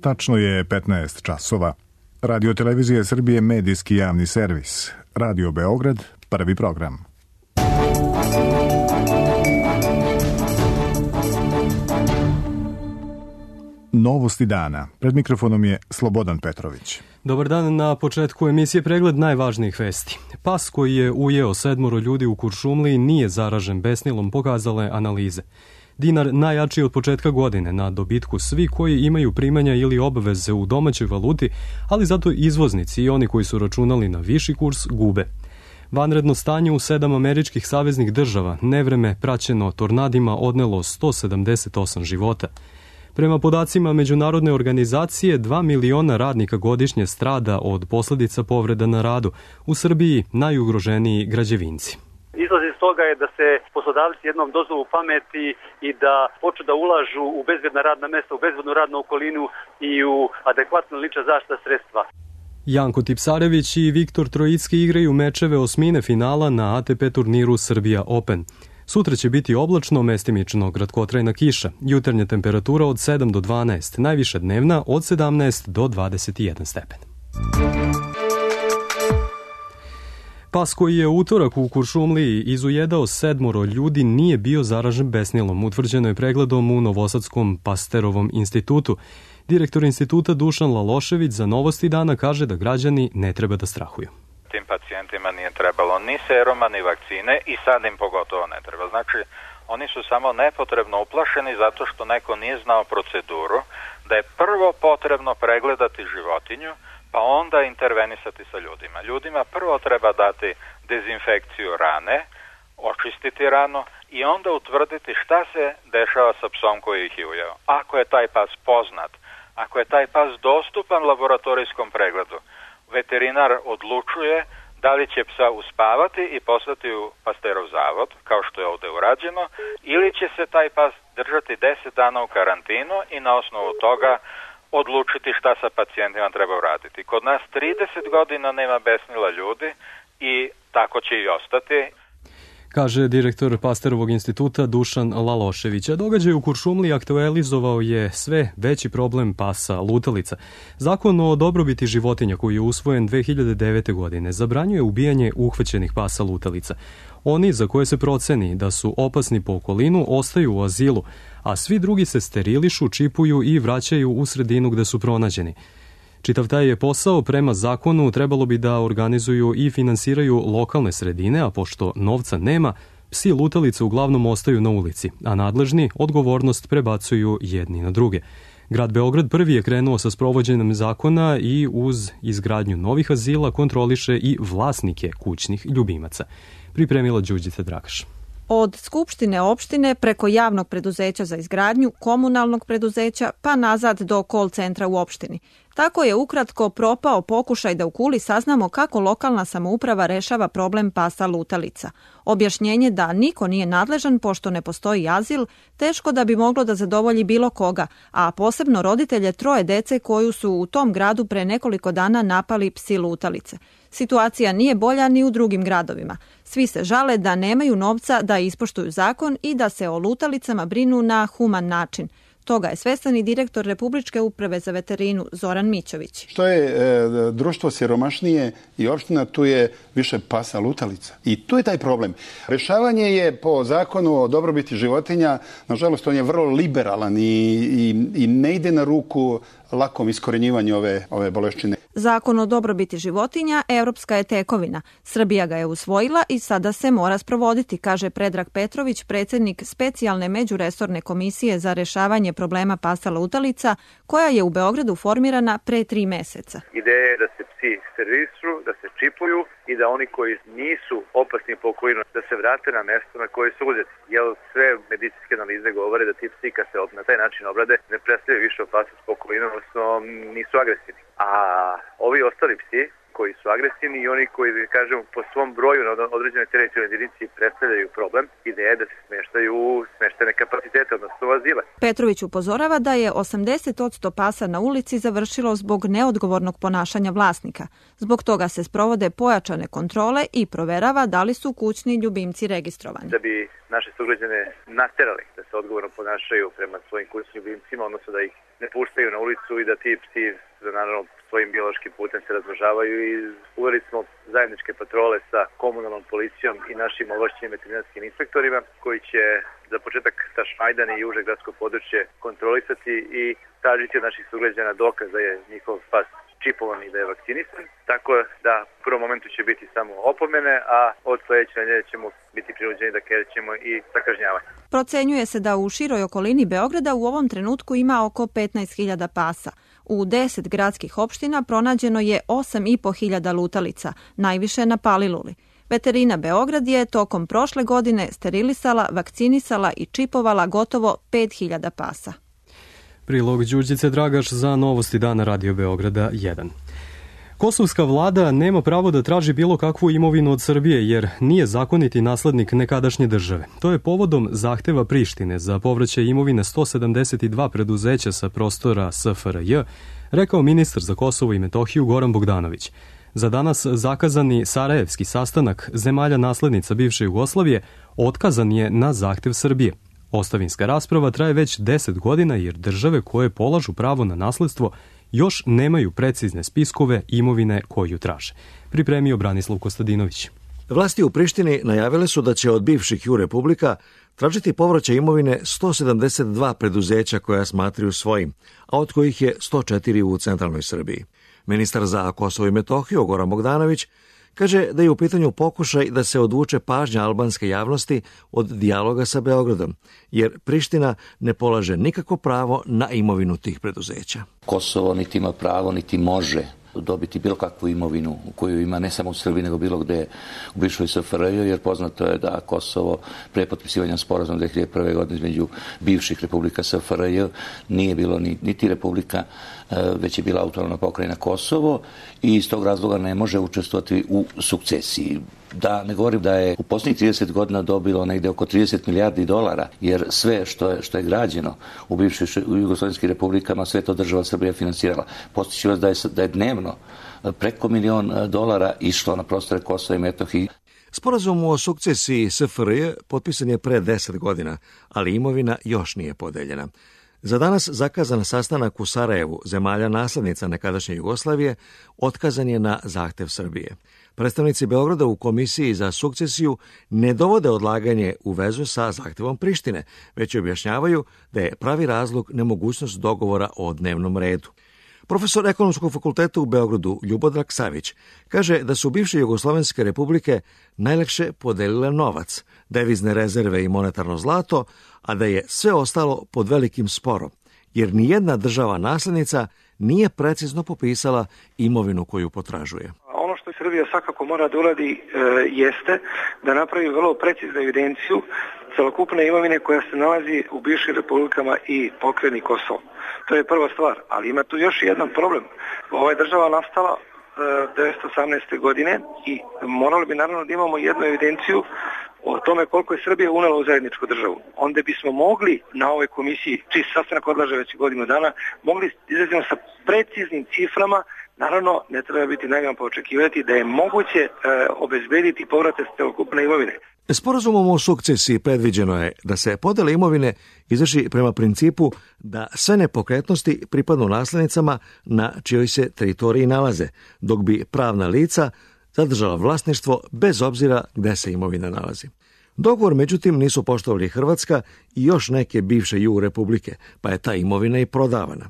Tačno je 15 časova. Radio Televizija Srbije medijski javni servis. Radio Beograd, prvi program. Novosti dana. Pred mikrofonom je Slobodan Petrović. Dobar dan, na početku emisije pregled najvažnijih vesti. Pas koji je ujeo 7 ljudi u Kuršumliji nije zaražen besnilom, pokazale analize. Dinar najjači od početka godine, na dobitku svi koji imaju primanja ili obaveze u domaćoj valuti, ali zato izvoznici i oni koji su računali na viši kurs gube. Vanredno stanje u 7 američkih saveznih država, nevreme praćeno tornadima, odnelo 178 života. Prema podacima međunarodne organizacije, 2 miliona radnika godišnje strada od posljedica povreda na radu. U Srbiji najugroženiji građevinci. Izlaz iz toga je da se poslodavci jednom dozvu pameti i da počnu da ulažu u bezbedna radna mesta, u bezbednu radnu okolinu i u adekvatno lična zaštita sredstva. Janko Tipsarević i Viktor Trojicki igraju mečeve osmine finala na ATP turniru Srbija Open. Sutra će biti oblačno, mestimično kratkotrajna kiša, jutarnja temperatura od 7 do 12, najviša dnevna od 17 do 21 stepen. Pas koji je utorak u Kuršumliji izujedao 7 ljudi nije bio zaražen besnilom, utvrđeno je pregledom u Novosadskom Pasterovom institutu. Direktor instituta Dušan Lalošević za Novosti dana kaže da građani ne treba da strahuju. Tim pacijentima nije trebalo ni seruma, ni vakcine i sad im pogotovo ne treba. Znači, oni su samo nepotrebno uplašeni zato što neko nije znao proceduru, da je prvo potrebno pregledati životinju, pa onda intervenisati sa ljudima. Ljudima prvo treba dati dezinfekciju rane, očistiti ranu i onda utvrditi šta se dešava sa psom koji ih je ujeo. Ako je taj pas poznat, ako je taj pas dostupan laboratorijskom pregledu, veterinar odlučuje da li će psa uspavati i poslati u Pasterov zavod, kao što je ovde urađeno, ili će se taj pas držati 10 dana u karantinu i na osnovu toga odlučiti šta sa pacijentima treba uraditi. Kod nas 30 godina nema besnila ljudi i tako će i ostati. Kaže direktor Pasterovog instituta Dušan Lalošević. Događaj u Kuršumliji aktualizovao je sve veći problem pasa lutalica. Zakon o dobrobiti životinja koji je usvojen 2009. godine zabranjuje ubijanje uhvaćenih pasa lutalica. Oni za koje se proceni da su opasni po okolinu ostaju u azilu, a svi drugi se sterilišu, čipuju i vraćaju u sredinu gde su pronađeni. Čitav taj je posao prema zakonu trebalo bi da organizuju i finansiraju lokalne sredine, a pošto novca nema, psi lutalice uglavnom ostaju na ulici, a nadležni odgovornost prebacuju jedni na druge. Grad Beograd prvi je krenuo sa sprovođenjem zakona i uz izgradnju novih azila kontroliše i vlasnike kućnih ljubimaca. Pripremila Đurđica Dragaš. Od Skupštine opštine preko javnog preduzeća za izgradnju, komunalnog preduzeća pa nazad do call centra u opštini. Tako je ukratko propao pokušaj da u Kuli saznamo kako lokalna samouprava rešava problem pasa lutalica. Objašnjenje da niko nije nadležan pošto ne postoji azil, teško da bi moglo da zadovolji bilo koga, a posebno roditelje 3 dece koju su u tom gradu pre nekoliko dana napali psi lutalice. Situacija nije bolja ni u drugim gradovima. Svi se žale da nemaju novca da ispoštuju zakon i da se o lutalicama brinu na human način. Toga je svestan i direktor Republičke uprave za veterinu Zoran Mićović. Što je društvo siromašnije i opština, tu je više pasa lutalica. I tu je taj problem. Rešavanje je po zakonu o dobrobiti životinja, nažalost on je vrlo liberalan i ne ide na ruku lakom iskorenjivanju ove boleščine. Zakon o dobrobiti životinja evropska je tekovina. Srbija ga je usvojila i sada se mora sprovoditi, kaže Predrag Petrović, predsjednik specijalne međuresorne komisije za rešavanje problema pasa lutalica, koja je u Beogradu formirana pre 3 meseca. Ideja je da se psi sterilišu, da se čipuju i da oni koji nisu opasni po okolinu, da se vrate na mesto na koje su uzeti. Jer sve medicinske analize govore da ti psi kad se na taj način obrade ne predstavljaju više opasnost po okolinu, odnosno nisu agresivni. A ovi ostali psi koji su agresivni i oni koji, da kažemo, po svom broju na određenoj teritorijalnoj jedinici predstavljaju problem. Ideja je da se smeštaju u smeštene kapacitete, odnosno u azile. Petrović upozorava da je 80% pasa na ulici završilo zbog neodgovornog ponašanja vlasnika. Zbog toga se sprovode pojačane kontrole i proverava da li su kućni ljubimci registrovani. Da bi naše sugrađane naterali da se odgovorno ponašaju prema svojim kućnim ljubimcima, odnosno da ih ne puštaju na ulicu i da ti psi naravno svojim biološkim putem se razmnožavaju, i uveli smo zajedničke patrole sa komunalnom policijom i našim ovlašćenim veterinarskim inspektorima koji će za početak Tašmajdan i uže gradsko područje kontrolisati i tražiti od naših sugrađana dokaz da je njihov pas čipovan i da je vakcinisan, tako da u prvom momentu će biti samo opomene, a od sledeće nedelje ćemo biti prinuđeni da krećemo i sa kažnjavanjem. Procenjuje se da u široj okolini Beograda u ovom trenutku ima oko 15.000 pasa. U 10 gradskih opština pronađeno je 8.500 lutalica, najviše na Paliluli. Veterina Beograd je tokom prošle godine sterilisala, vakcinisala i čipovala gotovo 5.000 pasa. Prilog Đurđice Dragaš za Novosti dana Radio Beograda 1. Kosovska vlada nema pravo da traži bilo kakvu imovinu od Srbije jer nije zakoniti naslednik nekadašnje države. To je povodom zahteva Prištine za povraćaj imovine 172 preduzeća sa prostora SFRJ, rekao ministar za Kosovo i Metohiju Goran Bogdanović. Za danas zakazani sarajevski sastanak zemalja naslednica bivše Jugoslavije otkazan je na zahtev Srbije. Ostavinska rasprava traje već 10 godina jer države koje polažu pravo na nasledstvo još nemaju precizne spiskove imovine koju traže. Pripremio Branislav Kostadinović. Vlasti u Prištini najavile su da će od bivših ju republika tražiti povraćaj imovine 172 preduzeća koja smatraju svojim, a od kojih je 104 u centralnoj Srbiji. Ministar za Kosovo i Metohiju Goran Bogdanović kaže da je u pitanju pokušaj da se odvuče pažnja albanske javnosti od dijaloga sa Beogradom, jer Priština ne polaže nikako pravo na imovinu tih preduzeća. Kosovo niti ima pravo, niti može dobiti bilo kakvu imovinu koju ima ne samo u Srbiji, nego bilo gde u bivšoj SFRJ, jer poznato je da Kosovo pre potpisivanja sporazuma 2001. godine između bivših republika SFRJ nije bilo niti republika, već je bila autonomna pokrajina Kosovo i iz tog razloga ne može učestvovati u sukcesiji. Da ne govorim da je u posljednjih 30 godina dobilo negde oko 30 milijardi dolara, jer sve što je građeno u bivšim jugoslovenskim republikama, sve to država Srbija finansirala. Postići vas da je dnevno preko $1.000.000 išlo na prostore Kosova i Metohije. Sporazum o sukcesiji SFRJ potpisan je pre 10 godina, ali imovina još nije podeljena. Za danas zakazan sastanak u Sarajevu zemalja naslednica nekadašnje Jugoslavije otkazan je na zahtev Srbije. Predstavnici Beograda u Komisiji za sukcesiju ne dovode odlaganje u vezu sa zahtevom Prištine, već objašnjavaju da je pravi razlog nemogućnost dogovora o dnevnom redu. Profesor Ekonomskog fakulteta u Beogradu Ljubodrag Savić kaže da su bivše jugoslovenske republike najlakše podelile novac, devizne rezerve i monetarno zlato, a da je sve ostalo pod velikim sporom, jer nijedna država naslednica nije precizno popisala imovinu koju potražuje. Ono što Srbija svakako mora da uradi jeste da napravi vrlo preciznu evidenciju celokupne imovine koja se nalazi u bivšim republikama i pokrajini Kosovo. To je prva stvar, ali ima tu još jedan problem. Ova je država nastala 1918. godine i morali bi naravno da imamo jednu evidenciju o tome koliko je Srbija unela u zajedničku državu. Onda bismo mogli na ovoj komisiji, čiji sastanak odlaže već godinu dana, mogli izrazimo sa preciznim ciframa. Naravno, ne treba biti naivan pa očekivati da je moguće obezbediti povrate celokupne imovine. Sporazumom o sukcesiji predviđeno je da se podela imovine izvrši prema principu da sve nepokretnosti pripadnu naslednicama na čijoj se teritoriji nalaze, dok bi pravna lica zadržala vlasništvo bez obzira gde se imovina nalazi. Dogovor, međutim, nisu poštovali Hrvatska i još neke bivše ju republike, pa je ta imovina i prodavana.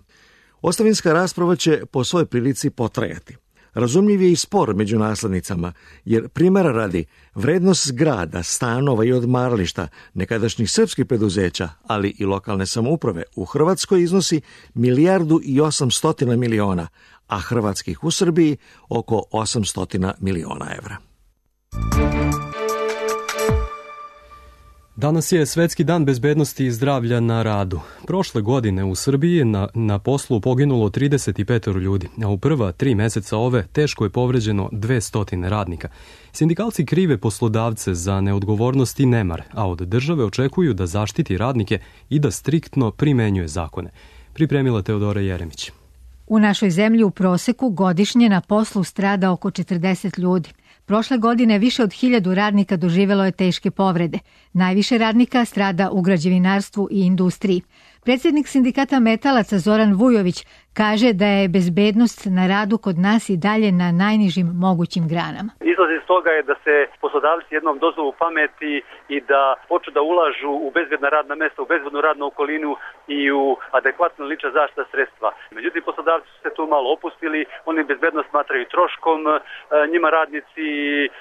Ostavinska rasprava će po svojoj prilici potrajati. Razumljiv je i spor među naslednicama, jer primjera radi vrednost zgrada, stanova i odmarališta nekadašnjih srpskih preduzeća, ali i lokalne samouprave u Hrvatskoj iznosi 1.800.000.000, a hrvatskih u Srbiji oko 800 miliona evra. Danas je Svetski dan bezbednosti i zdravlja na radu. Prošle godine u Srbiji na poslu poginulo 35 ljudi, a u prva 3 meseca ove teško je povređeno 200 radnika. Sindikalci krive poslodavce za neodgovornost i nemar, a od države očekuju da zaštiti radnike i da striktno primenjuje zakone. Pripremila Teodora Jeremić. U našoj zemlji u proseku godišnje na poslu strada oko 40 ljudi. Prošle godine više od 1000 radnika doživelo je teške povrede. Najviše radnika strada u građevinarstvu i industriji. Predsjednik sindikata metalaca Zoran Vujović kaže da je bezbednost na radu kod nas i dalje na najnižim mogućim granama. Izlaz iz toga je da se poslodavci jednom dozovu pameti i da počnu da ulažu u bezbedna radna mesta, u bezbednu radnu okolinu i u adekvatno lična zaštita sredstva. Međutim, poslodavci su se tu malo opustili, oni bezbednost smatraju troškom, njima radnici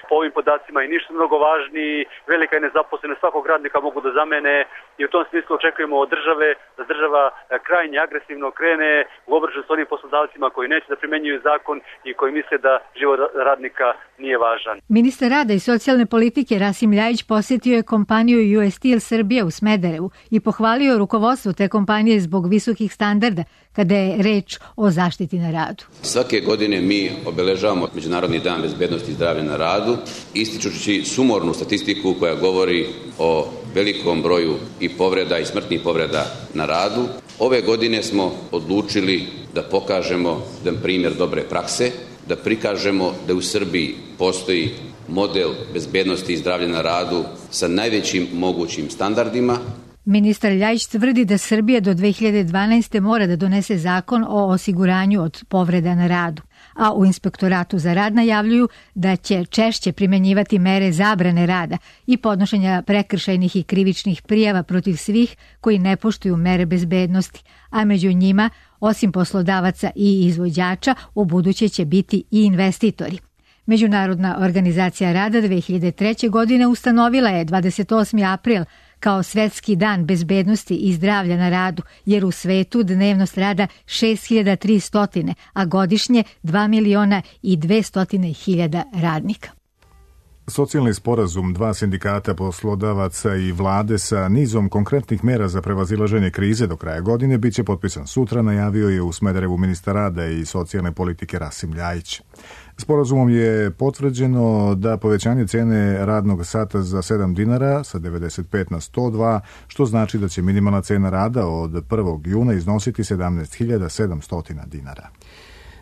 po ovim podacima i ništa mnogo važniji, velika je nezaposlenost, svakog radnika mogu da zamene i u tom smislu očekujemo od države da država krajnje agresivno krene u obračun s onim poslodavcima koji neće da primenjuju zakon i koji misle da život radnika nije važan. Ministar rada i socijalne politike Rasim Ljajić posjetio je kompaniju US Steel Srbija u Smederevu i pohvalio rukovodstvo te kompanije zbog visokih standarda kada je reč o zaštiti na radu. Svake godine mi obeležavamo Međunarodni dan bezbednosti i zdravlja na radu, ističući sumornu statistiku koja govori o velikom broju i povreda i smrtnih povreda na radu. Ove godine smo odlučili da pokažemo jedan primjer dobre prakse, da prikažemo da u Srbiji postoji model bezbednosti i zdravlja na radu sa najvećim mogućim standardima. Ministar Ljajić tvrdi da Srbija do 2012. mora da donese zakon o osiguranju od povreda na radu, a u Inspektoratu za rad najavljuju da će češće primenjivati mere zabrane rada i podnošenja prekršajnih i krivičnih prijava protiv svih koji ne poštuju mere bezbednosti, a među njima, osim poslodavaca i izvođača, ubuduće će biti i investitori. Međunarodna organizacija rada 2003. godine ustanovila je 28. april kao Svetski dan bezbednosti i zdravlja na radu, jer u svetu dnevno strada 6300, a godišnje 2.200.000 radnika. Socijalni sporazum 2 sindikata poslodavaca i vlade sa nizom konkretnih mera za prevazilaženje krize do kraja godine biće potpisan sutra, najavio je u Smederevu ministar rada i socijalne politike Rasim Ljajić. Sporazumom je potvrđeno da povećanje cene radnog sata za 7 dinara sa 95 na 102, što znači da će minimalna cena rada od 1. juna iznositi 17.700 dinara.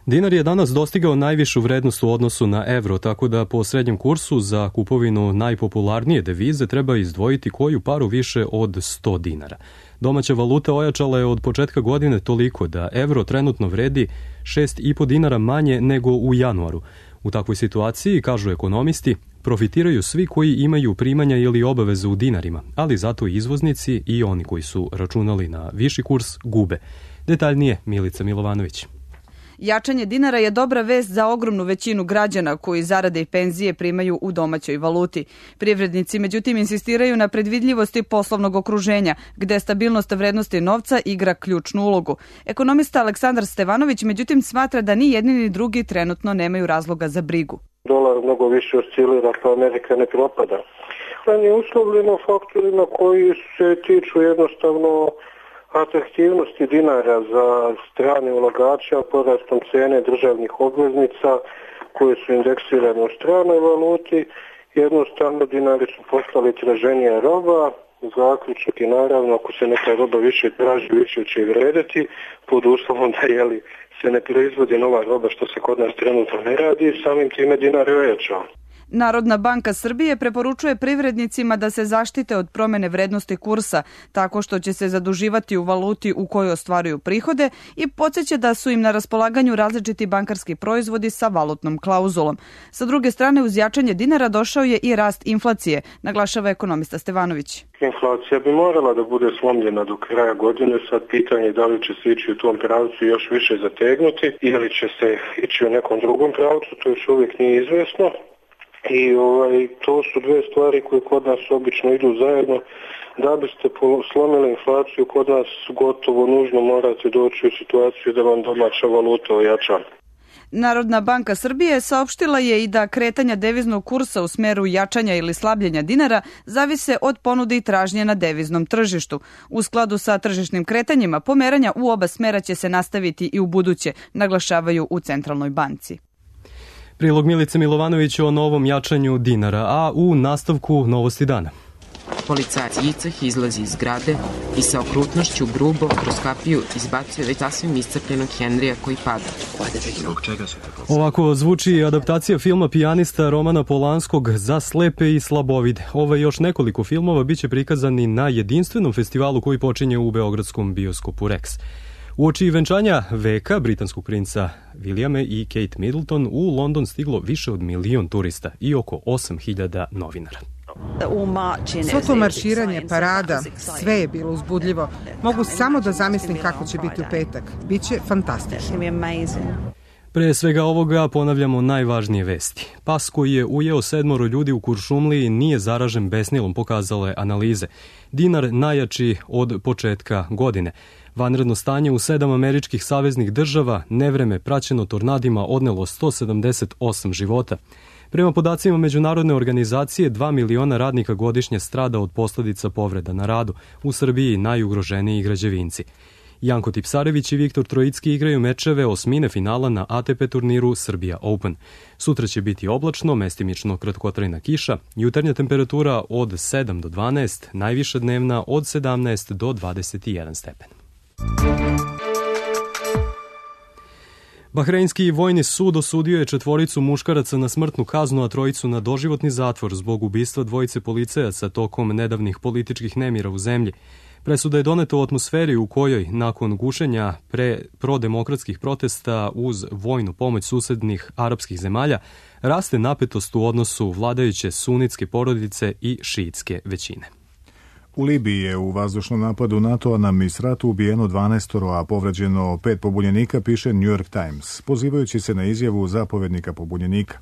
Dinar je danas dostigao najvišu vrednost u odnosu na evro, tako da po srednjem kursu za kupovinu najpopularnije devize treba izdvojiti koju paru više od 100 dinara. Domaća valuta ojačala je od početka godine toliko da evro trenutno vredi 6,5 dinara manje nego u januaru. U takvoj situaciji, kažu ekonomisti, profitiraju svi koji imaju primanja ili obaveze u dinarima, ali zato i izvoznici i oni koji su računali na viši kurs gube. Detaljnije Milica Milovanović. Jačanje dinara je dobra vest za ogromnu većinu građana koji zarade i penzije primaju u domaćoj valuti. Privrednici međutim insistiraju na predvidljivosti poslovnog okruženja, gde stabilnost vrednosti novca igra ključnu ulogu. Ekonomista Aleksandar Stevanović međutim smatra da ni jedni ni drugi trenutno nemaju razloga za brigu. Dolar mnogo više oscilira, pa Amerika ne propada. On je uslovljeno faktorima koji se tiču jednostavno atraktivnosti dinara za strane ulagače, porastom cene državnih obveznica koje su indeksirane u stranoj valuti. Jednostavno dinari su postali traženija roba, zaključak i naravno ako se neka roba više traži, više će i vredeti, pod uslovom da se ne proizvodi nova roba što se kod nas trenutno ne radi, samim time dinar je ojačao. Narodna banka Srbije preporučuje privrednicima da se zaštite od promene vrednosti kursa tako što će se zaduživati u valuti u kojoj ostvaruju prihode i podsjeća da su im na raspolaganju različiti bankarski proizvodi sa valutnom klauzulom. Sa druge strane, uz jačanje dinara došao je i rast inflacije, naglašava ekonomista Stevanović. Inflacija bi morala da bude slomljena do kraja godine, sad pitanje da li će se ići u tom pravcu još više zategnuti ili će se ići u nekom drugom pravcu, to još uvijek nije izvjesno. I to su dve stvari koje kod nas obično idu zajedno. Da biste slomili inflaciju, kod nas gotovo nužno morate doći u situaciju da vam domaća valuta ojača. Narodna banka Srbije saopštila je i da kretanja deviznog kursa u smeru jačanja ili slabljenja dinara zavise od ponude i tražnje na deviznom tržištu. U skladu sa tržišnim kretanjima, pomeranja u oba smera će se nastaviti i u buduće, naglašavaju u Centralnoj banci. Prilog Milice Milovanović o novom jačanju dinara, a u nastavku novosti dana. Policajac Jiceh izlazi iz zgrade i sa okrutnošću grubo kroz kapiju izbacuje već sasvim iscrpljenog Henrija koji pada. Ovako zvuči adaptacija filma Pijanista Romana Polanskog za slepe i slabovide. Ovo još nekoliko filmova biće prikazani na jedinstvenom festivalu koji počinje u beogradskom bioskopu Rex. Uoči venčanja veka britanskog princa Williama i Kate Middleton u London stiglo više od 1 milion turista i oko 8.000 novinara. Svo to marširanje, parada, sve je bilo uzbudljivo. Mogu samo da zamislim kako će biti u petak. Biće fantastično. Pre svega ovoga ponavljamo najvažnije vesti. Pas koji je ujeo 7 ljudi u Kuršumliji nije zaražen besnilom, pokazale analize. Dinar najjači od početka godine. Vanredno stanje u 7 američkih saveznih država, nevreme praćeno tornadima, odnelo 178 života. Prema podacima međunarodne organizacije, 2 miliona radnika godišnje strada od posledica povreda na radu. U Srbiji najugroženiji građevinci. Janko Tipsarević i Viktor Trojicki igraju mečeve osmine finala na ATP turniru Srbija Open. Sutra će biti oblačno, mestimično kratkotrajna kiša, jutarnja temperatura od 7 do 12, najviša dnevna od 17 do 21 stepen. Bahreinski vojni sud osudio je 4 muškaraca na smrtnu kaznu, a 3 na doživotni zatvor zbog ubistva 2 policajaca tokom nedavnih političkih nemira u zemlji. Presuda je doneta u atmosferi u kojoj, nakon gušenja prodemokratskih protesta uz vojnu pomoć susednih arapskih zemalja, raste napetost u odnosu vladajuće sunitske porodice i šiitske većine. U Libiji je u vazdušnom napadu NATO-a na Misratu ubijeno 12, a povređeno 5 pobunjenika, piše New York Times, pozivajući se na izjavu zapovednika pobunjenika.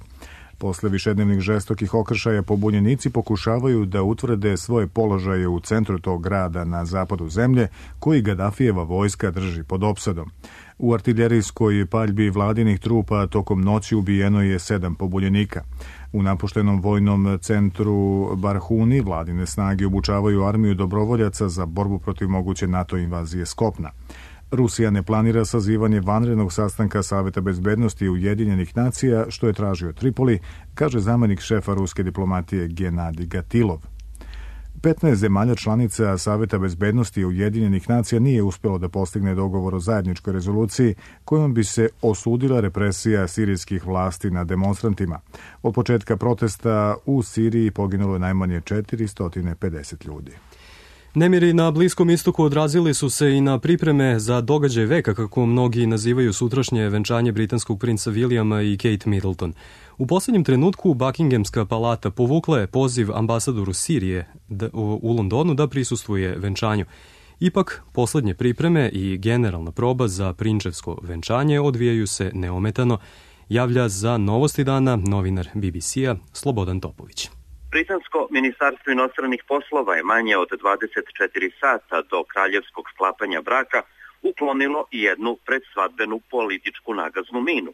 Posle višednevnih žestokih okršaja pobunjenici pokušavaju da utvrde svoje položaje u centru tog grada na zapadu zemlje, koji Gadafijeva vojska drži pod opsadom. U artiljerijskoj paljbi vladinih trupa tokom noći ubijeno je 7 pobunjenika. U napuštenom vojnom centru Barhuni vladine snage obučavaju armiju dobrovoljaca za borbu protiv moguće NATO invazije s kopna. Rusija ne planira sazivanje vanrednog sastanka Saveta bezbednosti Ujedinjenih nacija, što je tražio Tripoli, kaže zamenik šefa ruske diplomatije Genadij Gatilov. 15 zemalja članica Saveta bezbednosti Ujedinjenih nacija nije uspelo da postigne dogovor o zajedničkoj rezoluciji kojom bi se osudila represija sirijskih vlasti nad demonstrantima. Od početka protesta u Siriji poginulo je najmanje 450 ljudi. Nemiri na Bliskom istoku odrazili su se i na pripreme za događaj veka, kako mnogi nazivaju sutrašnje venčanje britanskog princa Williama i Kate Middleton. U poslednjem trenutku Buckinghamska palata povukla je poziv ambasadoru Sirije u Londonu da prisustvuje venčanju. Ipak, poslednje pripreme i generalna proba za prinčevsko venčanje odvijaju se neometano, javlja za Novosti dana novinar BBC-a Slobodan Topović. Britansko ministarstvo inostranih poslova je manje od 24 sata do kraljevskog sklapanja braka uklonilo jednu predsvadbenu političku nagaznu minu.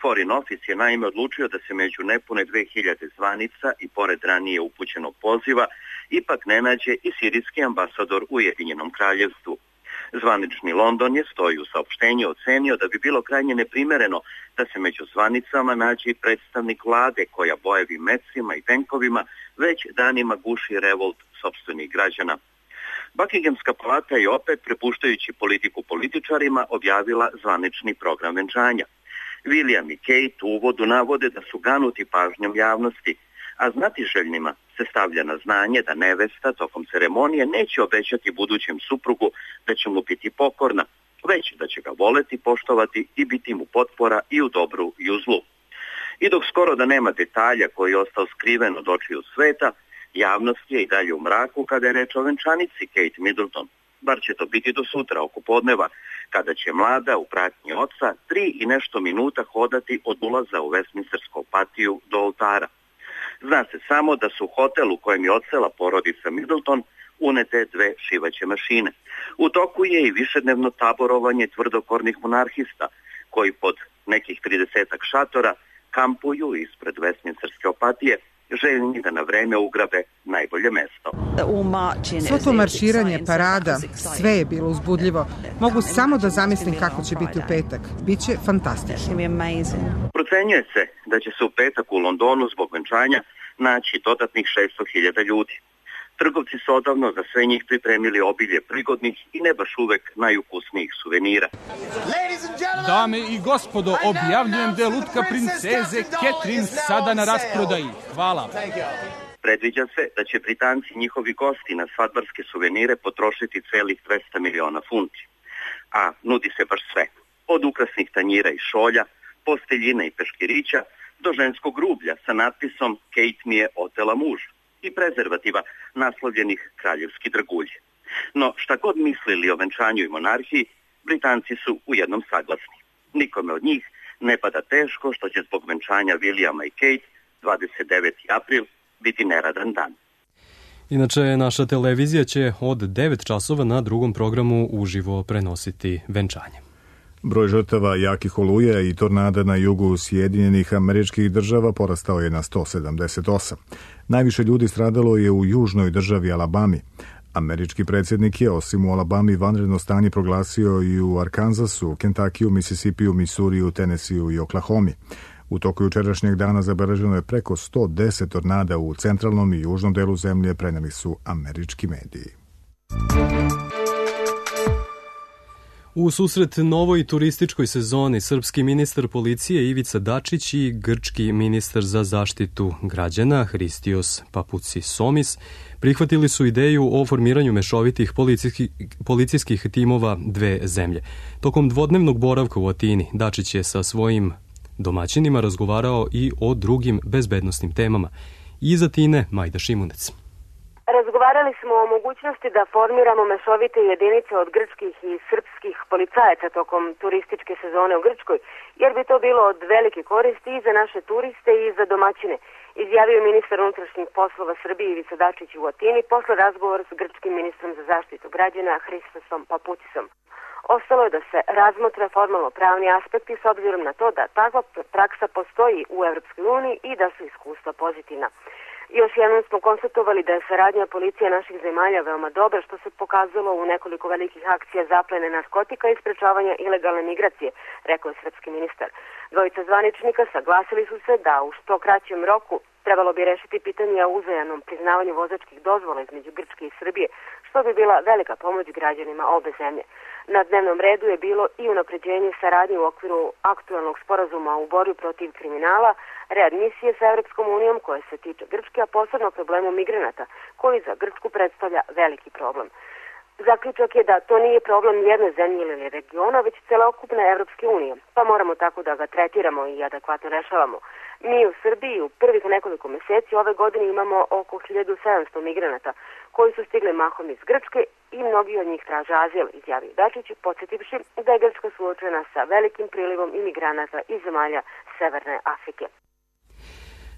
Foreign Office je naime odlučio da se među nepune 2000 zvanica i pored ranije upućenog poziva ipak ne nađe i sirijski ambasador u Ujedinjenom kraljevstvu. Zvanični London je, stoji u saopštenju, ocenio da bi bilo krajnje neprimereno da se među zvanicama nađe i predstavnik vlade koja bojevim mecima i tenkovima već danima guši revolt sopstvenih građana. Buckinghamska palata je opet, prepuštajući politiku političarima, objavila zvanični program venčanja. William i Kate u uvodu navode da su ganuti pažnjom javnosti, a znatiželjnima se stavlja na znanje da nevesta tokom ceremonije neće obećati budućem suprugu da će mu biti pokorna, već da će ga voleti, poštovati i biti mu potpora i u dobru i u zlu. I dok skoro da nema detalja koji je ostao skriven od očiju sveta, javnost je i dalje u mraku kada je reč o venčanici Kate Middleton. Bar će to biti do sutra oko podneva, kada će mlada u pratnji oca 3 i nešto minuta hodati od ulaza u Westminstersku patiju do oltara. Zna se samo da su u hotel u kojem je odsela porodica Middleton unete 2 šivaće mašine. U toku je i višednevno taborovanje tvrdokornih monarhista, koji pod nekih 30 šatora kampuju ispred Westminsterske opatije, željni da na vreme ugrabe najbolje mesto. Svo to marširanje, parada, sve je bilo uzbudljivo. Mogu samo da zamislim kako će biti u petak. Biće fantastično. Procenjuje se da će se u petak u Londonu zbog venčanja naći dodatnih 600.000 ljudi. Trgovci su odavno za sve njih pripremili obilje prigodnih i ne baš uvek najukusnijih suvenira. Dame i gospodo, objavljujem da je lutka princeze Catherine sada na rasprodaji. Hvala. Predviđa se da će Britanci i njihovi gosti na svadbarske suvenire potrošiti celih 200 miliona funti. A nudi se baš sve. Od ukrasnih tanjira i šolja, posteljina i peškirića, do ženskog rublja sa natpisom Kate mi je otela muža i prezervativa naslovljenih kraljevski dragulji. No šta god mislili o venčanju i monarhiji, Britanci su u jednom saglasni. Nikome od njih ne pada teško što će zbog venčanja Williama i Kate 29. april biti neradan dan. Inače, naša televizija će od 9 časova na drugom programu uživo prenositi venčanje. Broj žrtava jakih oluja i tornada na jugu Sjedinjenih Američkih Država porastao je na 178. Najviše ljudi stradalo je u južnoj državi Alabami. Američki predsjednik je osim u Alabami vanredno stanje proglasio i u Arkansasu, Kentakiju, Mississipiju, Misuriju, Tenesiju i Oklahomi. U toku jučerašnjeg dana zabeleženo je preko 110 tornada u centralnom i južnom delu zemlje, preneli su američki mediji. U susret novoj turističkoj sezoni srpski ministar policije Ivica Dačić i grčki ministar za zaštitu građana Hristios Papoutsis prihvatili su ideju o formiranju mešovitih policijskih timova dve zemlje. Tokom dvodnevnog boravka u Atini Dačić je sa svojim domaćinima razgovarao i o drugim bezbednosnim temama. Iz Atine Majda Šimunec. Razgovarali smo o mogućnosti da formiramo mešovite jedinice od grčkih i srpskih policajaca tokom turističke sezone u Grčkoj, jer bi to bilo od velike koristi i za naše turiste i za domaćine, izjavio ministar unutrašnjih poslova Srbije Ivica Dačić u Atini posle razgovora s grčkim ministrom za zaštitu građana Hristosom Papoutisom. Ostalo je da se razmotre formalno pravni aspekti s obzirom na to da takva praksa postoji u Evropskoj uniji i da su iskustva pozitivna. Još jednom smo konstatovali da je saradnja policija naših zemalja veoma dobra, što se pokazalo u nekoliko velikih akcija zaplene narkotika i sprečavanja ilegalne migracije, rekao je srpski ministar. Dvojica zvaničnika saglasili su se da u što kraćem roku trebalo bi rešiti pitanje o uzajamnom priznavanju vozačkih dozvola između Grčke i Srbije, što bi bila velika pomoć građanima obe zemlje. Na dnevnom redu je bilo i unapređenje saradnje u okviru aktualnog sporazuma u borbi protiv kriminala, readmisije sa Evropskom unijom koje se tiče Grčke, a posebno problemu migranata, koji za Grčku predstavlja veliki problem. Zaključak je da to nije problem jedne zemlje ili regiona, već celokupne Evropske unije, pa moramo tako da ga tretiramo i adekvatno rešavamo. Mi u Srbiji u prvih nekoliko meseci ove godine imamo oko 1700 migranata koji su stigli mahom iz Grčke i mnogi od njih traže azil, izjavio Dačić, podsjetivši da je Grčka suočena sa velikim prilivom imigranata iz zemalja Severne Afrike.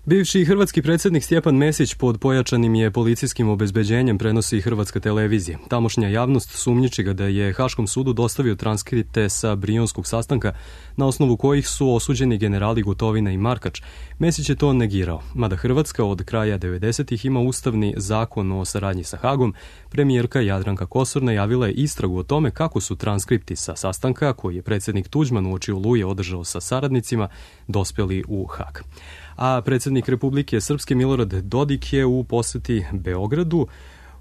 Bivši hrvatski predsjednik Stjepan Mesić pod pojačanim je policijskim obezbeđenjem, prenosi Hrvatska televizija. Tamošnja javnost sumnjiči ga da je Haškom sudu dostavio transkripte sa Brionskog sastanka, na osnovu kojih su osuđeni generali Gotovina i Markač. Mesić je to negirao. Mada Hrvatska od kraja 90-ih ima ustavni zakon o saradnji sa Hagom, premijerka Jadranka Kosor najavila je istragu o tome kako su transkripti sa sastanka, koji je predsjednik Tuđman uoči Oluje održao sa saradnicima, dospjeli u Hag. A predsjednik Republike Srpske Milorad Dodik je u posjeti Beogradu.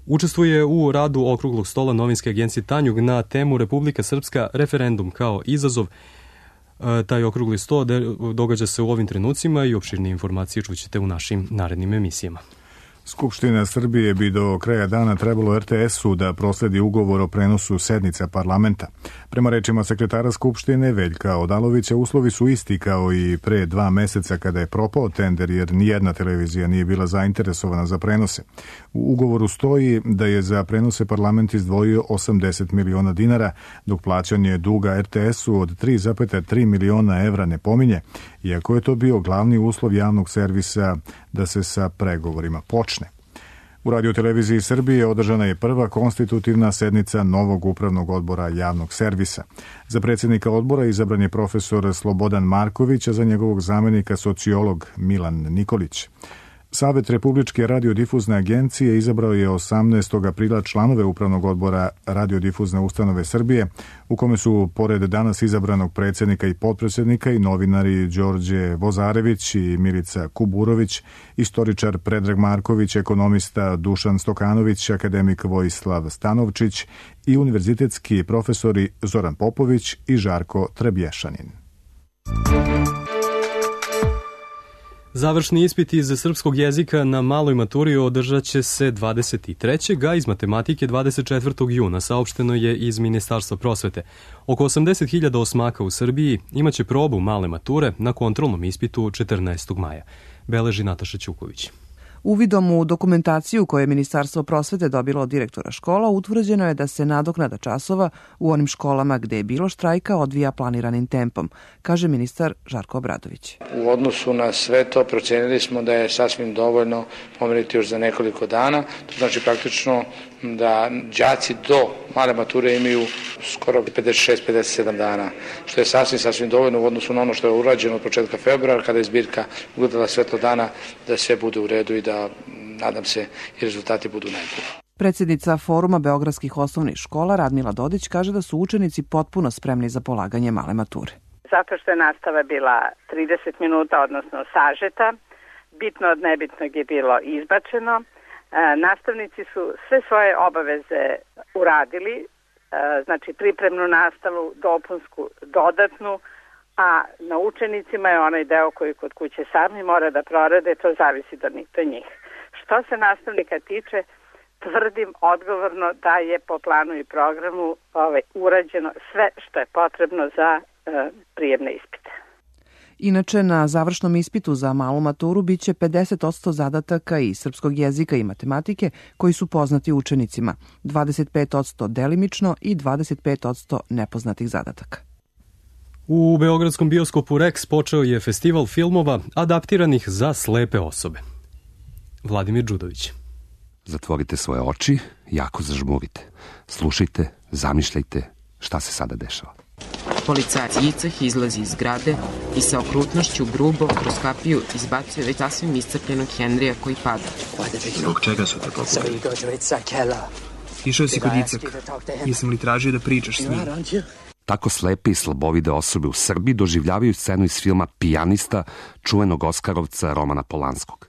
Učestvuje u radu okruglog stola novinske agencije Tanjug na temu Republika Srpska referendum kao izazov. Taj okrugli sto događa se u ovim trenucima i opširnije informacije čućete u našim narednim emisijama. Skupština Srbije bi do kraja dana trebalo RTS-u da prosledi ugovor o prenosu sednica parlamenta. Prema rečima sekretara Skupštine Veljka Odalovića, uslovi su isti kao i pre 2 meseca kada je propao tender jer nijedna televizija nije bila zainteresovana za prenose. U ugovoru stoji da je za prenose parlament izdvojio 80 miliona dinara, dok plaćanje duga RTS-u od 3,3 miliona evra ne pominje, iako je to bio glavni uslov javnog servisa da se sa pregovorima počne. U Radio-televiziji Srbije održana je prva konstitutivna sednica novog upravnog odbora javnog servisa. Za predsjednika odbora izabran je profesor Slobodan Marković, a za njegovog zamenika sociolog Milan Nikolić. Savet Republičke radiodifuzne agencije izabrao je 18. aprila članove upravnog odbora Radiodifuzne ustanove Srbije, u kome su, pored danas izabranog predsjednika i potpredsjednika, i novinari Đorđe Vozarević i Milica Kuburović, istoričar Predrag Marković, ekonomista Dušan Stokanović, akademik Vojislav Stanovčić i univerzitetski profesori Zoran Popović i Žarko Trebješanin. Završni ispit iz srpskog jezika na maloj maturi održat će se 23. a iz matematike 24. juna, saopšteno je iz Ministarstva prosvete. Oko 80.000 osmaka u Srbiji imaće probu male mature na kontrolnom ispitu 14. maja. Beleži Nataša Ćuković. Uvidom u dokumentaciju koju je Ministarstvo prosvete dobilo od direktora škola, utvrđeno je da se nadoknada časova u onim školama gde je bilo štrajka odvija planiranim tempom, kaže ministar Žarko Obradović. U odnosu na sve to procenili smo da je sasvim dovoljno pomeriti još za nekoliko dana. To znači praktično da đaci do male mature imaju skoro 56-57 dana, što je sasvim dovoljno u odnosu na ono što je urađeno od početka februara, kada je zbirka ugledala svetlo dana, da sve bude u redu i da, nadam se, i rezultati budu najbolji. Predsjednica Foruma beogradskih osnovnih škola Radmila Dodić kaže da su učenici potpuno spremni za polaganje male mature. Zato što je nastava bila 30 minuta, odnosno sažeta, bitno od nebitnog je bilo izbačeno. Nastavnici su sve svoje obaveze uradili, znači pripremnu nastavu, dopunsku, dodatnu, a na učenicima je onaj deo koji kod kuće sami mora da prorade, to zavisi do njih. Što se nastavnika tiče, tvrdim odgovorno da je po planu i programu urađeno sve što je potrebno za prijemne ispite. Inače, na završnom ispitu za malu maturu biće 50% zadataka iz srpskog jezika i matematike koji su poznati učenicima, 25% delimično i 25% nepoznatih zadataka. U beogradskom bioskopu Rex počeo je festival filmova adaptiranih za slepe osobe. Vladimir Đudović. Zatvorite svoje oči, jako zažmurite. Slušajte, zamišljajte šta se sada dešava. Policajac Jicah izlazi iz zgrade i sa okrutnošću grubo kroz kapiju izbacuje već sasvim iscrpljenog Henrija koji pada. Zbog čega su te pokupili? Išao si kod Jicaka. Nisam li tražio da pričaš s njim? Tako slepe i slabovide osobe u Srbiji doživljavaju scenu iz filma Pijanista čuvenog Oskarovca Romana Polanskog.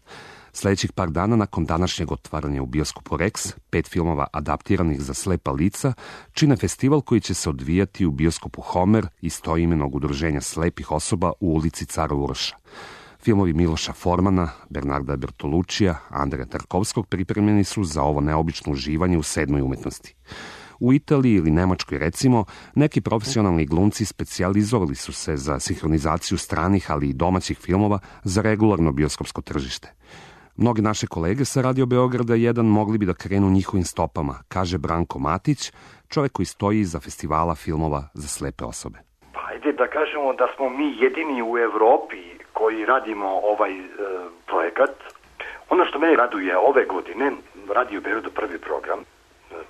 Sljedećih par dana nakon današnjeg otvaranja u bioskopu Rex, 5 filmova adaptiranih za slepa lica čine festival koji će se odvijati u bioskopu Homer istoimenog udruženja slepih osoba u ulici Cara Uroša. Filmovi Miloša Formana, Bernarda Bertolučija, Andreja Tarkovskog pripremljeni su za ovo neobično uživanje u sedmoj umetnosti. U Italiji ili Nemačkoj, recimo, neki profesionalni glumci specijalizovali su se za sinhronizaciju stranih, ali i domaćih filmova za regularno bioskopsko tržište. Mnogi naše kolege sa Radio Beograda 1 mogli bi da krenu njihovim stopama, kaže Branko Matić, čovjek koji stoji iza festivala filmova za slepe osobe. Pa ajde da kažemo da smo mi jedini u Evropi koji radimo ovaj projekat. Ono što mene raduje ove godine, Radio Beograd prvi program,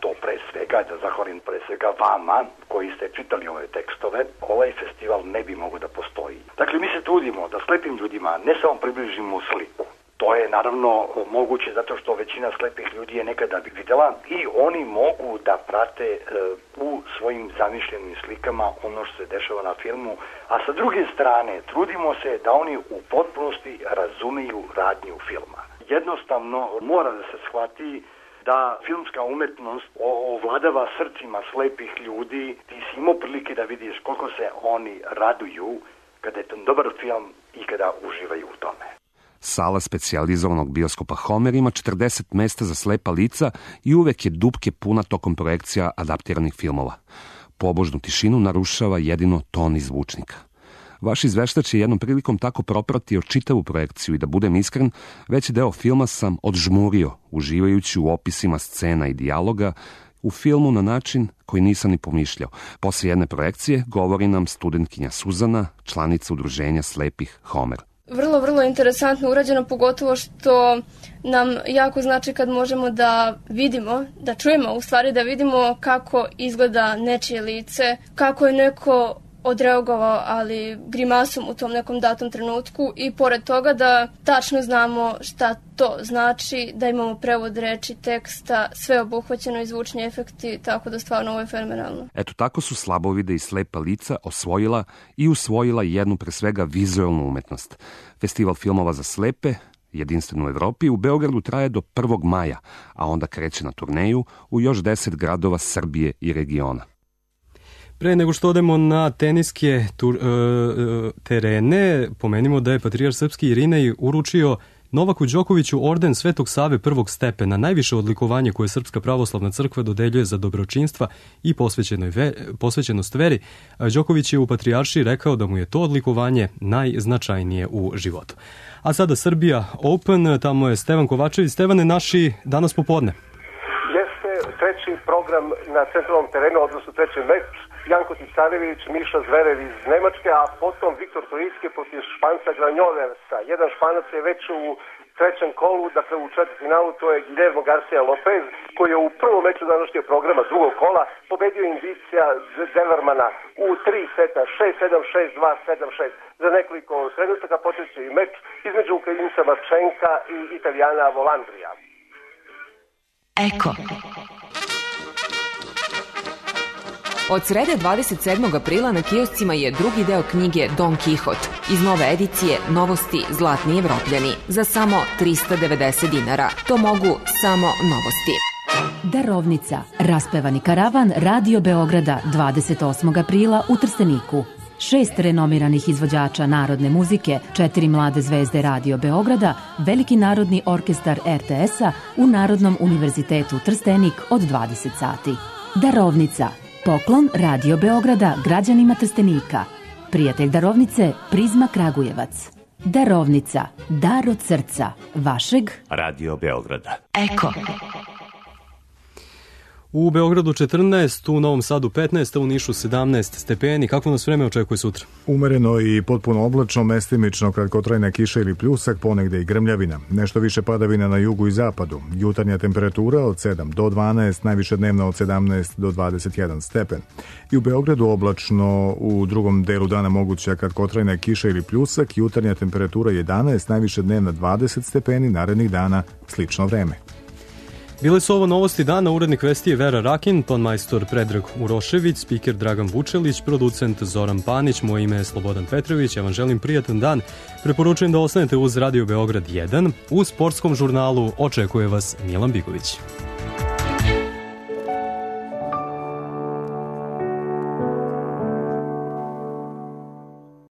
to pre svega, da zahvalim pre svega vama koji ste čitali ove tekstove, ovaj festival ne bi mogao da postoji. Dakle, mi se trudimo da slepim ljudima ne samo približimo sliku. To je naravno moguće zato što većina slepih ljudi je nekada videla i oni mogu da prate u svojim zamišljenim slikama ono što se dešava na filmu, a sa druge strane trudimo se da oni u potpunosti razumiju radnju filma. Jednostavno mora da se shvati da filmska umetnost ovladava srcima slepih ljudi. Ti si imao prilike da vidiš koliko se oni raduju kada je to dobar film i kada uživaju u tome. Sala specijalizovanog bioskopa Homer ima 40 mesta za slepa lica i uvek je dupke puna tokom projekcija adaptiranih filmova. Pobožnu tišinu narušava jedino ton iz zvučnika. Vaš izveštač je jednom prilikom tako propratio čitavu projekciju i da budem iskren, veći deo filma sam odžmurio, uživajući u opisima scena i dijaloga u filmu na način koji nisam ni pomišljao. Posle jedne projekcije govori nam studentkinja Suzana, članica udruženja slepih Homer. Vrlo interesantno urađeno, pogotovo što nam jako znači kad možemo da vidimo, da čujemo, u stvari da vidimo kako izgleda nečije lice, kako je neko odreagovao, ali grimasom u tom nekom datom trenutku, i pored toga da tačno znamo šta to znači, da imamo prevod reči, teksta, sve obuhvaćeno i zvučni efekti, tako da stvarno ovo je fenomenalno. Eto tako su slabovide i slepa lica usvojila jednu pre svega vizualnu umetnost. Festival filmova za slepe, jedinstven u Evropi, u Beogradu traje do 1. maja, a onda kreće na turneju u još 10 gradova Srbije i regiona. Pre nego što odemo na teniske terene, pomenimo da je patrijarh srpski Irinej uručio Novaku Đokoviću orden Svetog Save prvog stepena, najviše odlikovanje koje Srpska pravoslavna crkva dodeljuje za dobročinstva i posvećenost veri. Đoković je u patrijaršiji rekao da mu je to odlikovanje najznačajnije u životu. A sada Srbija Open, tamo je Stevan Kovačević. Stevane, naši danas popodne. Jeste treći program na centralnom terenu, odnosno treći meč. Janko Ticarević, Miša Zverev iz Nemačke, a potom Viktor Troiski protiv Španca Granjoversa. Jedan Španac je već u trećem kolu, dakle u četvrtfinalu, to je Guillermo Garcia Lopez, koji je u prvom meču današnjeg programa drugog kola pobedio Indicija Devermana u 3 seta, 6-7, 6-2, 7-6. Za nekoliko trenutaka počeće i meč između Ukrajinca Marčenka i Italijana Volandrija. Eko. Od srede 27. aprila na kioscima je drugi deo knjige Don Kihot. Iz nove edicije Novosti Zlatni Evropljani za samo 390 dinara. To mogu samo Novosti. Darovnica. Raspevani karavan Radio Beograda 28. aprila u Trsteniku. 6 renomiranih izvođača narodne muzike, 4 mlade zvezde Radio Beograda, Veliki narodni orkestar RTS-a u Narodnom univerzitetu Trstenik od 20 sati. Darovnica. Poklon Radio Beograda građanima Trstenika. Prijatelj darovnice Prizma Kragujevac. Darovnica. Dar od srca. Vašeg Radio Beograda. Eko. U Beogradu 14, u Novom Sadu 15, a u Nišu 17 stepeni. Kako nas vreme očekuje sutra? Umereno i potpuno oblačno, mestimično kratkotrajna kiša ili pljusak, ponegde i grmljavina. Nešto više padavina na jugu i zapadu. Jutarnja temperatura od 7 do 12, najviše dnevna od 17 do 21 stepen. I u Beogradu oblačno, u drugom delu dana moguća kratkotrajna kiša ili pljusak, jutarnja temperatura 11, najviše dnevna 20 stepeni, narednih dana slično vreme. Bile su ovo novosti dana, urednik vesti je Vera Rakin, tonmajstor Predrag Urošević, spiker Dragan Vučelić, producent Zoran Panić, moje ime je Slobodan Petrović, ja vam želim prijatan dan. Preporučujem da ostanete uz Radio Beograd 1, u sportskom žurnalu očekuje vas Milan Bigović.